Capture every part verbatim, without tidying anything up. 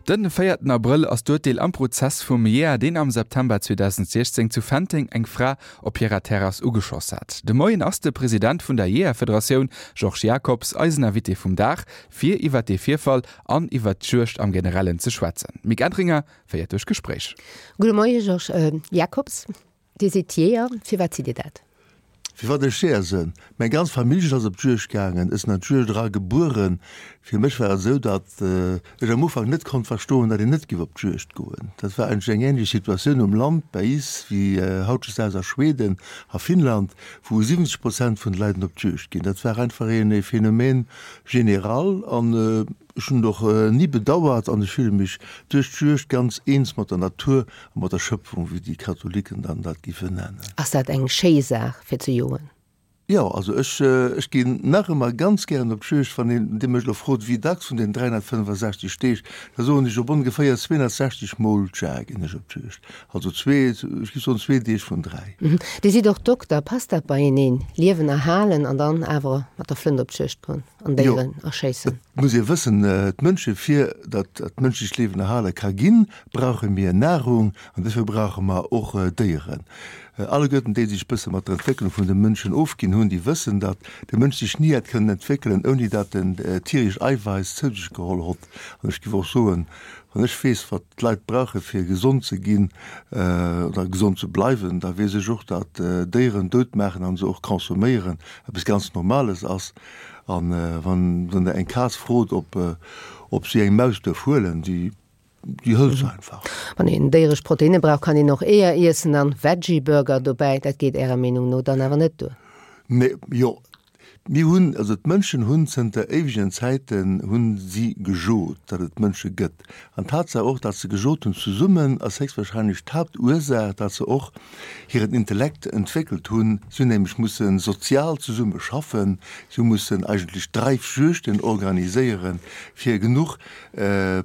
Den véierten Abrëll ass d'Urteel am Prozess vum Jeeër, deen am September zweedausendsechzéng zu Fenteng eng Fra op hirer Terrass ugeschoss hat. De Moien ass de President vun der Jeeërfederatioun, Georges Jacobs, eisen Invité vum Dag, fir iwwert dee Virfall an iwwert d'Juegd am Generellen ze schwätzen. D'Mick Entringer féiert duerch d'Gespréich. Gudde Moie Georges Jacobs, Dir sidd Jeeër. Firwat sidd Dir dat? Firwat ech Jeeër sinn? Meng ganz Familljen ass op d'Juegd gaangen. Ech sinn an d'Juegd era gebueren. Fir mech war et esou, datt ech am Ufank net konnt verstoen, datt een net giff op d'Juegd goen. Dat war eigentlech eng ähnlech Situatioun um Land bei is wéi hautdesdaags a Schweden a Finnland, wou siwwenzeg Prozent vun de Leiden op d'Juegd ginn. Dat war einfach een Phänomen général an ech hunn et och ni bedauert an ech fille mech duerch d'Juegd ganz eens mat der Natur a mat der Schöpfung, wéi déi Katholiken dann dat giffen nennen. Ass dat eng schéi Saach fir ze joen? Jo, also ech, ech ginn nach ëmmer ganz gären op d'Juegd. Wann een, Dir mech elo frot, wéi dacks vun den dräihonnertfënnefasechzeg Deeg, da soen ech, op ongeféier zweehonnertsechzeg Mol d'Jar ginn ech op d'Juegd. Also zwee, ech géif soen zwee Deeg vun dräi. Dir sidd och Dokter. Passt dat beieneen, Liewen erhalen an dann awer mat der Flënt op d'Juegd goen an Déieren erschéissen? Jo, et muss ee wëssen, d'Mënsche fir datt dat mënschlecht Liewen erhale ka ginn, brauche mir Nahrung an dofir brauche mer och Déieren. Alleguerten déi sech bësse mat der Entwécklung vun de Mënschen ofginn hunn, déi wëssen, datt de Mënsch sech ni hätt kënnen entwéckelen, ouni datt en tierescht Eiweiss zou sech geholl hott. An ech géif och soen, wann ech weess, wat d'Leit brauche fir gesond ze ginn oder gesond ze bleiwen, da weess ech och, datt Déieren dout maachen an se och consomméieren eppes ganz Normales ass. A wann Der eng Kaz frot, ob si eng Maus duerf huelen, déi Déi hëlt se einfach. Wann een déieresch Proteinne brauch, kann een och Eeër iessen an Veggie-Burger dobäi. Dat geet Ärer Meenung no dann awer net duer? Nee, jo, mir hunn, also d'Mënschen hunn zënter éiwegen Zäiten hunn si gejot, datt et Mënsche gëtt. An d'Tatsaach och, datt se gejot hunn zesummen, ass héchstwahrscheinlech d'Haaptursaach, datt se och hiren Intellekt entwéckelt hunn. Si hunn nämlech musse sozial zesumme schaffen, si hu mussen eigentlech Dreifjuegten organiséieren, fir genuch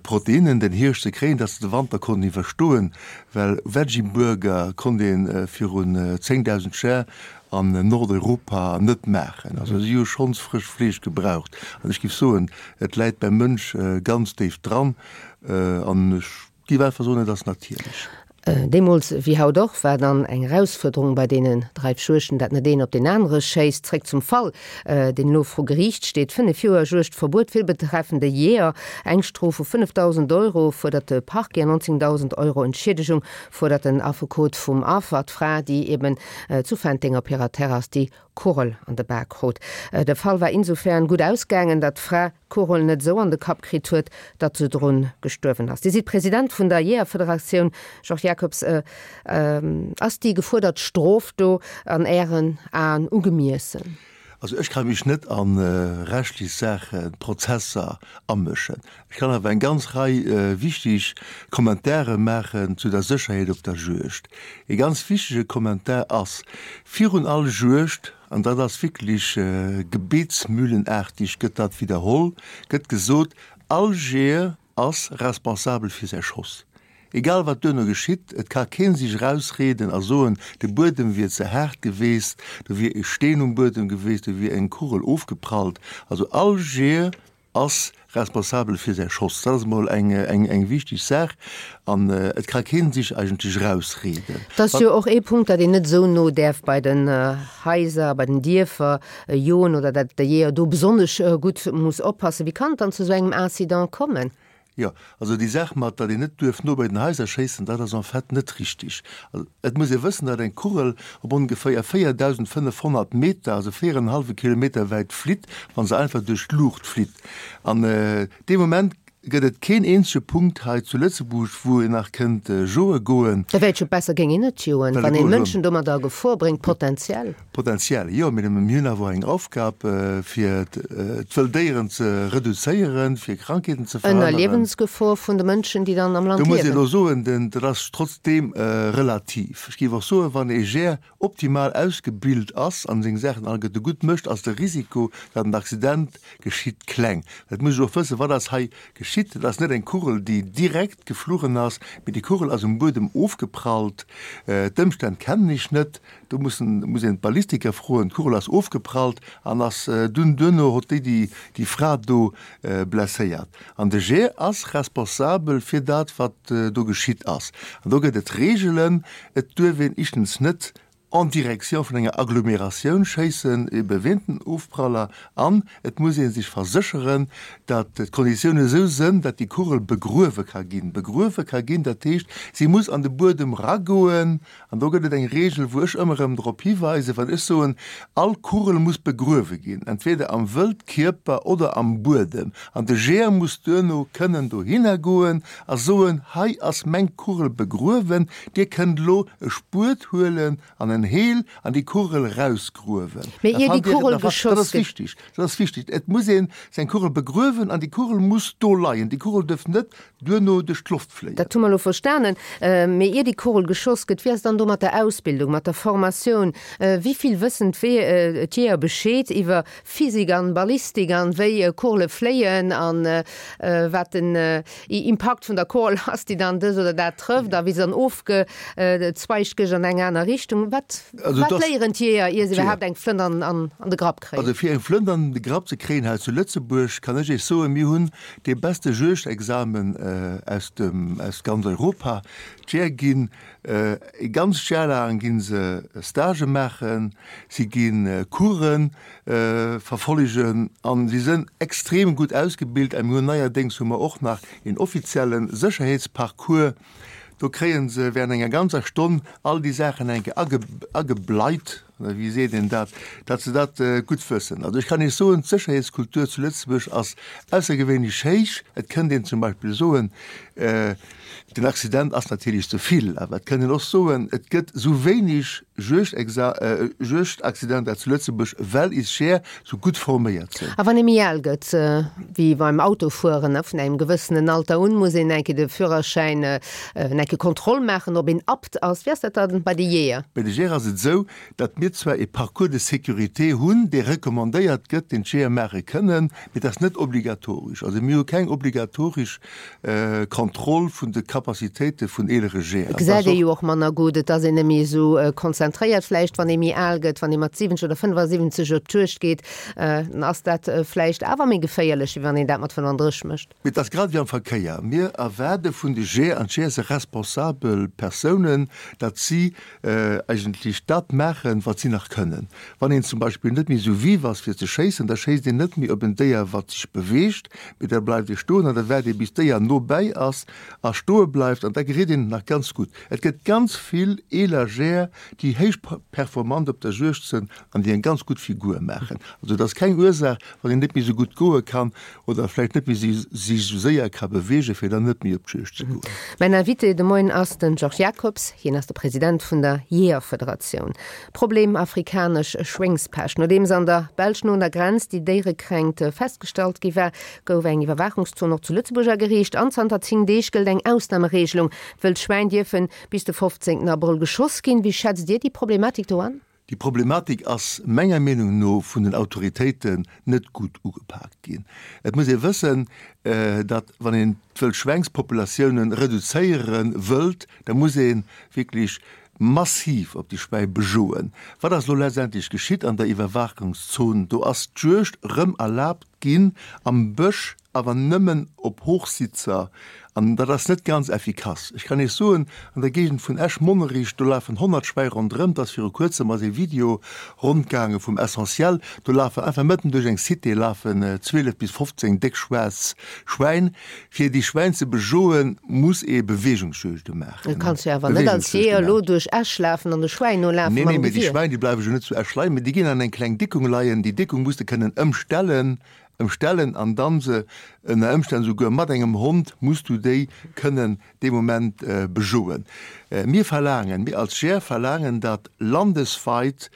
Proteinnen den Hierscht ze kréien, dass se de Wanter konnten iwwerstoen, well Veggie-Burger konnt ee virun zéngdausend Jar an Nordeuropa net maachen. Also si hu schonns frëscht Fleesch gebraucht. An ech géif soen, et läit beim Mënsch ganz déif dran an ech géif einfach soen, et ass natierlech. Deemools wéi haut och war dann eng Erausfuerderung bei deenen Dreifjuegten, dat net een op deen anere schéisst. Zréck zum Fall, deen elo vru Geriicht steet. Fënnef Joer Juegdverbuet fir de betreffende Jeeër, eng Strof vu fënnefdausend Euro fuerdert de Parquet an nonzéngdausend Euro Entschiedegung fuerdert den Affekot vum Affer, d'Fra, déi eben zu Fenteng op hirer Terrass déi Kugel an de Bak krut. De Fall war insofern gutt ausgaangen, datt d'Fra d'Kugel net esou an de Kapp kritt huet, datt se drun gestuerwen ass. Dir sidd President vun der Jeeërfederatioun, Georges Jacobs. Ass déi gefuerdert Strof do an Ären Aen ugemiessen? Also ech ka mech net a rechtlech Saachen, Prozesser amëschen. Ech kann awer eng ganz Rei wichteg Kommentare maachen zu der Sécherheet op der Juegd. Ee ganz wichtege Kommentar ass, Virun all Juegd, an dat ass wierklech gebetsmühlenaartig gëtt dat widderholl, gëtt gesot, All Jeeër ass responsabel fir säi Schoss. Egal wat duerno geschitt, et ka kee sech erausrieden a soen, de Buedem wier ze haart geweest, do wier e Steen um Buedem geweest, do wier eng Kugel ofgeprallt. Also all Jeeër ass responsabel fir säi Schoss. Dat ass emol eng, eng, eng wichteg Saach an et ka kee sech eigentlech erausrieden. Et ass jo och ee Punkt, datt een net esou no däerf bei den Haiser, bei den Dierfer joen oder datt de Jeeër do besonnesch gutt muss oppassen. Wéi kann et dann zu esou engem Incident kommen? Jo, also déi Saach mat, datt een net duerf no bei den Haiser schéissen, dat ass en fait net richtig. Also et muss ee wëssen, datt eng Kugel op ongeféier véierdausendfënnefhonnert Meter, also véier an en hallwe Kilometer wäit flitt, wa se einfach duerch d'Luucht flitt. An dee Moment gëtt et keen eenzege Punkt hei zu Lëtzebuerg, wou een nach kënnt joe goen. Da wär et jo besser, géing een net joen, wann een Mënschen domadder a Gefor bréngt, potenziell. Potenziell, jo, mee mir hunn awer och eng Aufgab, fir d'wëll Déieren ze reduzéieren, fir Krankheeten ze Ënner verhënneren. Liewensgefor vun de Mënschen, déi dann am Land Do muss ee liewen. elo soen, den, dat ass trotzdeem relativ. Ech géif och soen, wann ee Jeeër optimal ausgebilt ass an seng Saachen alleguerte gutt mécht, ass de Risiko, datt en Accident geschitt, kleng. Et muss ee och wëssen, wat ass hei geschitt. geschitt. Dat ass net eng Kugel, déi direkt gefluchen ass, mee déi Kugel ass um Buedem ofgeprallt. D'Ëmstänn kennen ech net, do mussen, muss een d'Ballistiker froen. D'Kugel ass ofgeprallt an ass dunn duerno huet déi déi déi Fra do blesséiert. An de Jeeër ass responsabel fir dat, wat do geschitt ass. An do gëtt et Reegelen, et duerf een éischtens net en direction vun enger Agglomeratioun schéissen, ebe wéint den Ofpraller, an et muss ee sech versécheren, datt d'Konditiounen esou sënn, datt déi Kugel begruewe ka ginn. Begruewe ka ginn, dat heescht, si muss an de Buedem ragoen. An do gëtt et eng Reegel, wou ech ëmmer erëm drop hiweisen, wann ech soen, all Kugel muss begruewe ginn, entweder am Wëldkierper oder am Buedem. An de Jeeër muss duerno kënnen dohinner goen a soen, hei ass meng Kugel begruewen, Dir kënnt elo e Spuet huelen an en Heel an déi Kugel erausgruewen. Mee ier déi Kugel geschoss gëtt. Dat ass wichtig, dat ass wichtig. Et muss ee seng Kugel begruewen an déi Kugel muss do leien. Déi Kugel dierf net duerno duerch d'Loft fléien. Dat hu mer elo verstanen. Mee ier déi Kugel geschoss gëtt, wéi ass et dann do mat der Ausbildung, mat der Formatioun? Wéi vill wëssen d'Jeeër Bescheed iwwer Physik an Ballistik an wéi Kugele fléien an wat den Impakt vun der Kugel ass, déi dann dës oder dat trëfft a wéi se dann ofgezweigt gëtt an eng aner Richtung? Wat wat léieren d'Jeeër, ier se iwwerhaapt eng Flënt an an de Grapp kréien? Also fir eng Flënt an de Grapp ze kréien hei zu Lëtzebuerg, kann ech Iech soen, mir hunn dee beste Juegdexamen aus dem aus ganz Europa. D'Jeeër ginn e ganzt Jar laang gi se Stagë maachen, si gi Coursen verfollegen an si sënn extrem gutt ausgebilt. A mir hunn neierdéngs hu mer och nach een offizielle Sécherheetsparcours. Do kréie se während enger ganzer Stonn all déi Saachen eng Kéier agebleit, oder wéi seet een dat, datt se dat gutt wëssen. Also ech kann Iech soen, d'Sécherheetskultur zu Lëtzebuerg ass aussergewéinlech héich. Et kënnt een zum Beispill soen, den Accident ass natierlech ze vill, awer et kënnt een och soen, et gëtt esou wéineg Juegdaccidenter zu Lëtzebuerg, well is Jeeër esou gutt forméiert sinn. A wann ee méi al gëtt, wéi beim Autofueren, vun engem gewëssenen Alter un muss een eng Kéier de Führerschäin, eng Kéier Kontroll maachen, ob een apte ass. Wéi ass dat dann bei de Jeeër? Bei de Jeeër ass et esou, datt mir zwar e Parcours de sécurité hunn, dee recommandéiert gëtt, deen d'Jeeër maache kënnen, mee dat ass net obligatoresch. Also mir hu keng obligatoresch Kontroll vun de Capacitéite vun eelere Jeeër. Et gesäit ee jo och manner gutt, et ass een net méi esou konzentréiert vläicht, wann ee méi al gëtt. Wann ee mat siwwenzeg oder fënnefasiwwenzeg op d'Juegd geet, dann ass dat vläicht awer méi geféierlech, wéi wann een dat mat fënnefandrësseg mécht. Mee et ass grad ewéi am Verkéier. Mir erwaarde vun de Jeeër, an d'Jeeër si responsabel Persounen, datt si eigentlech dat maachen, wat si nach kënnen. Wann een zum Beispill net méi esou vif ass fir ze schéissen, da schéisst een net méi op en Déier, wat sech beweegt, mee da bleift ee stoen an da waart ee bis d'Déier no bäi ass a stoe bleift an da gereet een et nach ganz gutt. Et gëtt ganz vill eeler Jeeër, déi héich performant op der Juegd sënn an déi eng ganz gutt Figur maachen. Also et ass keng Ursaach, wann een net méi esou gutt goe kann oder vläicht net méi sech esou séier ka beweegen, fir dann net méi op d'Juegd ze goen. Mäin Invité de Moien ass den Georges Jacobs. Hien ass de President vun der Jeeërfederatioun. Problem afrikanesch Schwéngspescht. Nodeems an der Belsch no un der Grenz déi Déierekränkt festgestallt gi war, gouf eng Iwwerwaachungszon och zu Lëtzebuerg ageriicht an zanter zéng Deeg gëllt eng Ausnamereegelung, Wëll Schwäin dierfen bis de fofzéngten Abrëll geschoss ginn. Wéi schätzt Dir déi Problematik do an? Déi Problematik ass menger Meenung no vun den Autoritéiten net gutt ugepaakt ginn. Et muss ee wëssen, datt wann een d'Wëllschwängspopulatiounen reduzéiere wëllt, da muss ee wierklech massiv op déi Schwäi bejoen. Wat ass elo letztendlech geschitt an der Iwwerwaachungszon? Do ass d'Juegd erëm erlaabt ginn am Bësch, awer nëmmen op Hochsitzer, an dat ass net ganz effikass. Ech kann Iech soen, an der Géigend vun Esch-Monnerich, do lafen honnert Schwäi ronderëm. Et ass viru kuerzem ass ee Video rondgaange vum Essentiel, do lafen einfach mëtten duerch eng Cité lafen zwielef bis fofzéng déck schwaarz Schwäin. Fir déi Schwäin ze bejoen, muss ee Beweegungsjuegde maachen. Du kanns jo awer net als Jeeër elo duerch Esch lafen an de Schwäin nolafen Nee, nee, mam mee déi Gewier. Schwäin, déi bleiwe jo net zu Esch leien, mee déi ginn an eng kleng Dickung leien. Déi Dickung muss de kënnen ëmstellen, ëmstellen an dann se ënner Ëmstänn souguer mat engem Hond muss du déi kënnen dee Moment bejoen. Mir verlaangen, mir als Jeeër verlaangen, datt landesweit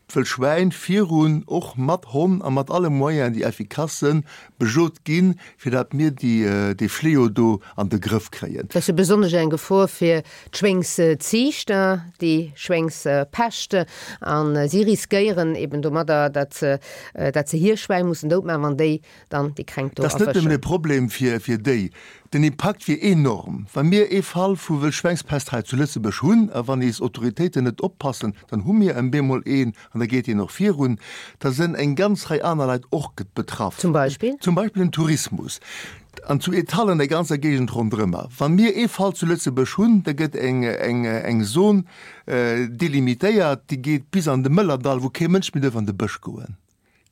d'Wëll Schwäin virun, och mat Honn a mat alle Moyenen, déi effikass sënn, bejot ginn, fir dat mir déi, dee Fléau do an de Grëff kréien. Dat ass jo besonnesch eng Gefor fir d'Schwéngsziichter, déi Schwéngspescht, a si riskéieren eben domadder, dat se, dat se hir Schwäin mussen doutmaachen, wann déi dann déi Kränkt do Dat ass net nëmmen erwëschen. e Problem fir, fir déi. Den Impakt wier enorm, wa mir ee Fall vu Wëllschwängspest hei zu Lëtzebuerg hunn a wann eis Autoritéiten net oppassen, dann hu mir en bemol een an da geet deen och virun. Da sënn eng ganz Rei aner Leit och betraff. Zum Beispill? Zum Beispill den Tourismus an zu Ettal an der ganzer Géigend ronderëmmer. Wa mir ee Fall zu Lëtzebuerg hunn, da gëtt eng, eng, eng Zon delimitéiert, déi geet bis an de Mëllerdall, wou kee Mënsch méi duerf an de Bësch goen.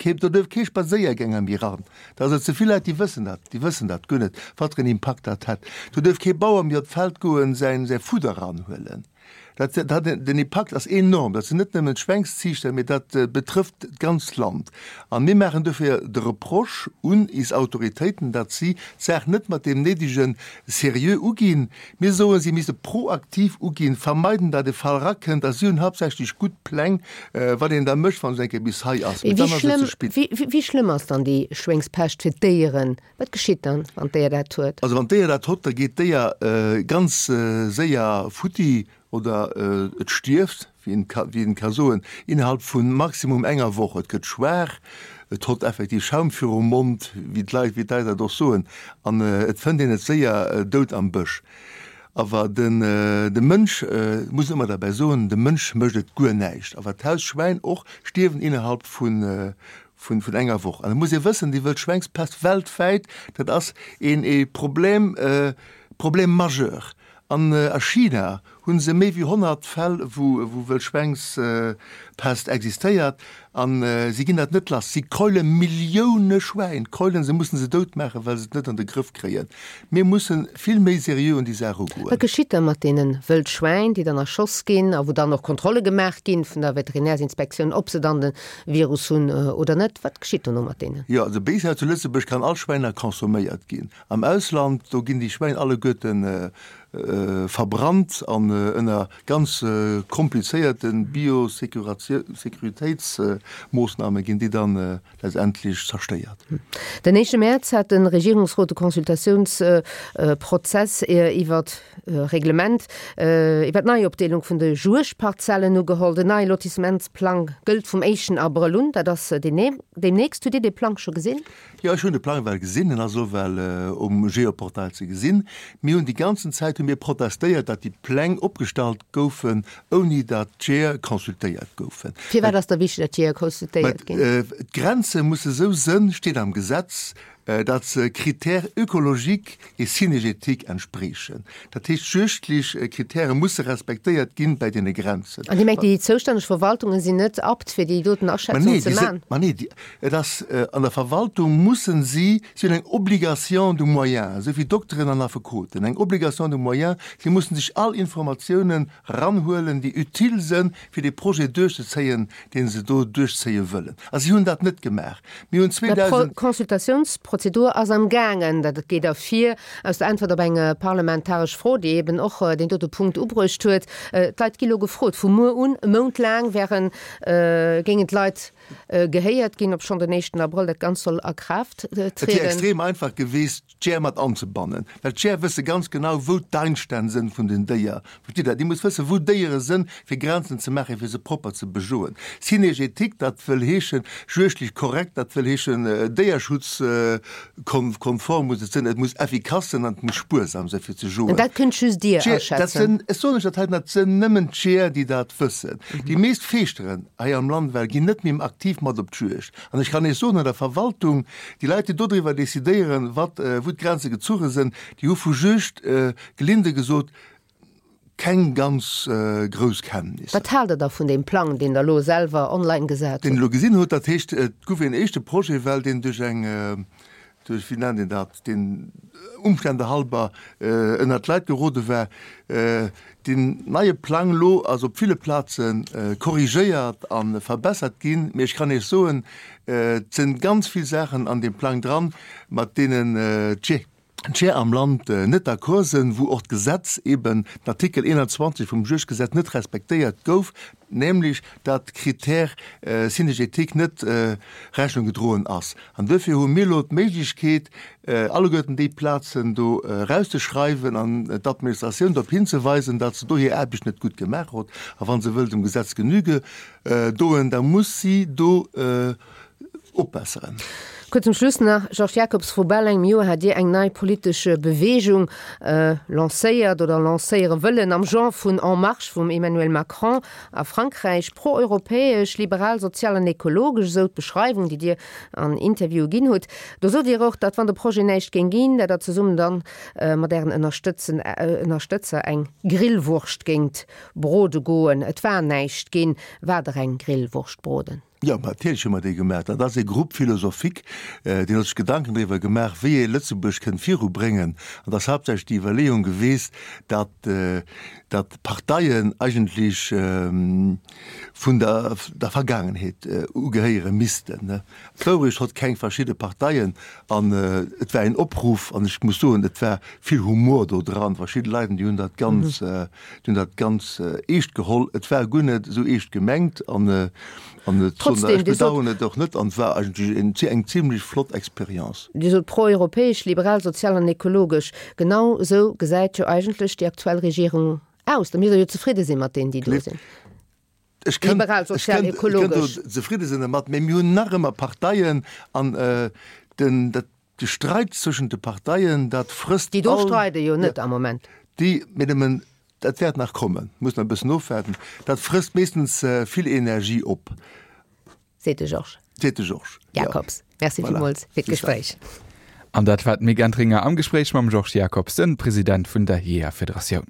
Kee, do duerf kee Spadséiergänger méi ran. Da ass et ze vill Leit, déi wëssen dat, déi wëssen dat guer net, wat fir en Impakt dat hätt. Do duerf kee Bauer méi op d'Feld goen, säin, säi Fudder ranhuelen. Dat, dat, den Impakt ass enorm. Dat sinn net nëmmen d'Schwéngsziichter, mee dat betrëfft d'ganzt Land. A mir maachen dofir de Reproche un is Autoritéiten, datt si d'Saach net mat deem néidege Seriö uginn. Mir soen, si misste proaktiv uginn, vermeiden, datt e Fall erakënnt. A si hunn haaptsächlech gutt Pläng, wat een da mécht, wann et eng Kéier bis hei ass. Mee Wéi dann ass et schlëmm, ze spit. wéi, wéi schlëmm ass dann déi Schwéngspescht fir d'Déieren? Wat geschitt dann, wann d'Déier dat huet? Also wann d'Déier dat hott, da geet d'Déier ganz séier futti oder et stierft, wéi een ka, wéi een ka soen, innerhalb vu maximum enger Woch. Et gëtt schwaach, et hott effektiv Schaum virum Mond, wéi d'Leit, wéi d'Leit dat och soen, an et fënnt een et séier dout am Bësch. Awer den, de Mënsch, muss een ëmmer derbäi soen, de Mënsch mécht et guer näischt. Awer d'Hausschwäin och stierwen innerhalb vun, vun, vun enger Woch. An et muss ee wëssen, déi Wëldschwängspest weltwäit, dat ass een ee Problem, Problem majeur. An a China hu se méi wéi honnert Fäll, wou, wou Wëldschwängspest existéiert. An si ginn dat net lass. Si keule Millioune Schwäin, keulen se, mussen se dout maachen, well se et net an de Grëff kréien. Mir mussen vill méi seriö un déi Saach ugoen. Wat geschitt da mat deene Wëldschwäin, déi dann erschoss ginn a wou dann och Kontrolle gemaach ginn vun der Veterinärsinspektioun, ob se dann de Virus hunn oder net? Wat geschitt dono mat deenen? Jo, also bis hei zu Lëtzebuerg kann all Schwäin nach consomméiert ginn. Am Ausland, do ginn déi Schwäin alleguerten verbrannt an ënner ganz komplizéierte Biosecuritéitsmoossname ginn déi dann letztendlech zerstéiert. Den éischte Mäerz hat de Regierungsrot de Consultatiounsprozess iwwer d'Reglement iwwer d'Neiopdeelung vun de Juegdparzellen ugeholl. Den neie Lotissementsplang gëllt vum éischten Abrëll un, dat ass deemnächst. Hutt Dir dee Plang scho gesinn? Jo, ech hunn de Plang well gesinn, en ass och well um Geoportail ze gesinn. Mir hunn déi ganzen Zäit hu mir protestéiert, datt déi Pläng opgestallt goufen, ouni datt d'Jeeër consultéiert goufen. Firwat ass da wichteg, datt d'Jeeër consultéiert ginn? D'Grenze musse sou sënn, steet am Gesetz, datt se Critères ökologiques et synergétiques entspriechen. Dat heescht, juegdlech Kritäre musse respektéiert ginn bei deene Grenzen. An Dir mengt, déi zoustänneg Verwaltunge sinn net apt, fir déi doten Aschätzung ze maachen? Ma nee, et ass an der Verwaltung mussen si, si hunn eng Obligation de moyens, esou wéi Dokteren an Affekoten, eng Obligation de moyens, si mussen sech all Informatiounen ranhuelen, déi utile sënn, fir dee Projet duerchzezéien, dee se do duerchzéie wëllen. A si hunn dat net gemaach. Mir hunn zweedausend. D'Consultatiounsprozedur ass am gaangen. Dat geet ervir aus der Äntwert op eng parlamentaresch Fro, déi eben och deen dote Punkt ubruecht huet. D'Leit gi lo gefrot. Vu muer un, e Mount laang, wären, géingen d'Leit gehéiert ginn, obschonn den éischten Abrëll dat Ganzt soll a Kraaft Et wier trieden. extrem einfach geweest, d'Jeeër mat anzebannen, well d'Jeeër wësse ganz genau, wou d'Einstänn sënn vun den Déier. Verstitt Der? Dir musst wëssen, wou d'Déiere sënn, fir Grenzen ze maachen, fir se propper ze bejoen. Synergetique, dat wëll heeschen, juegdlech korrekt, dat wëll heeschen, déierschutzkonform muss et sënn, et muss effikass sënn an et muss spuersam sënn, fir ze An joen. dat kënnt just Dir D'Jeeër, dat aschätzen? sënn, ech soen lech dat heiten, dat sënn nëmmen d'Jeeër, déi dat wëssen. Déi meescht Feeschteren hei am Land well ginn net méi aktiv mat op d'Juegd. An ech kann Iech soen, an der Verwaltung, déi Leit, déi dodriwwer decidéieren, wat, wou d'Grenze gezuche sënn, déi hu vu Juegd, gelinde gesot, keng ganz grouss Kenntnisser. Wat haalt Der da vun deem Plang, deen Der elo selwer online gesat Deen hutt? elo gesinn hutt, dat heescht, et gouf een éischte Projet, well deen duerch eng, duerch, wéi nennt een dat, deen Umstände halber ënnert d'Leit gerode war. Deen neie Plang elo ass op ville Plaze korrigéiert a verbessert ginn, mee ech kann Iech soen, et sinn ganz vill Saachen an deem Plang dran, mat deenen d'Je. d'Jeeër am Land net d'accord sinn, wou och d'Gesetz eben, den Artikel eenanzwanzeg vum Juegdgesetz net respektéiert gouf, nämlech dat d'Critère synergétique net Rechnung gedroen ass. An duerfir hu mir elo d'Méiglechkeet, alleguerten déi Plazen do erauszeschreiwen an d'Administratioun drop hinzeweisen, datt se do hir Aarbecht net gutt gemaach huet. A wa se wëll dem Gesetz Genüge doen, da muss si do opbesseren. Kuerz zum Schluss nach, Georges Jacobs, Vru bal engem Joer hat Dir eng nei politesch Beweegung lancéiert oder lancéiere wëllen, am Genre vun En Marche vum Emmanuel Macron a Frankräich. Pro-europäesch, liberal, sozial an ekologesch, esou d'Beschreiwung, déi Dir an Interviewe ginn hutt. Do sot Dir och, datt wann de Projet näischt géing ginn, datt Der zesummen dann mat Ären Ënnerstëtzer eng Grillwurscht géingt brode goen. Et war näischt ginn. Waart Der eng Grillwurscht broden? Jo, natierlech hu mer déi gemaach. Dat ass e Groupe philosophique, deen huet sech Gedanken driwwer gemaach, wéi ee Lëtzebuerg kënnt virubréngen. An et ass haaptsächlech déi Iwwerleeung geweest, datt, datt d'Parteien eigentlech vun der, der Vergaangenheet ugehéiere missten. D'Wourecht hott keng verschidde Parteien an et war een Opruff an ech muss soen, et war vill Humor do dran. Verschidde Leit, déi hunn dat ganz, déi hunn dat ganz eescht geholl. Et war guer net esou eescht gemengt an An et Trotzdem, ech Dir sot, bedauern et och net, an et war eigentlech en, eng zimlech flott Expérience. Dir sot pro-europäesch, liberal, sozial an ekologesch. Genau esou gesäit jo eigentlech déi aktuell Regierung aus. Da misst Der jo zefridde sinn mat deenen, déi do sinn. Ech kënnt, Liberal, ech sozial, kënnt, ech kënnt do ekologesch. zefridde sinn dermat, mä mir hunn nach ëmmer Parteien an den, dat, de Streit zwëschent de Parteien, dat frësst Déi do all, streide jo net am Moment. déi, mä nëmmen, dat wäert nach kommen, muss nach e bëssen ofwaarden, dat frësst meeschtens vill Energie op. Seet de Georges. Seet de Georges, jo. Jacobs. Merci Voilà, villmools fir bis dann. d'Gespréich. An dat war d'Mick Entringer am Gespréich mam Georges Jacobs, den President vun der Jeeërfederatioun.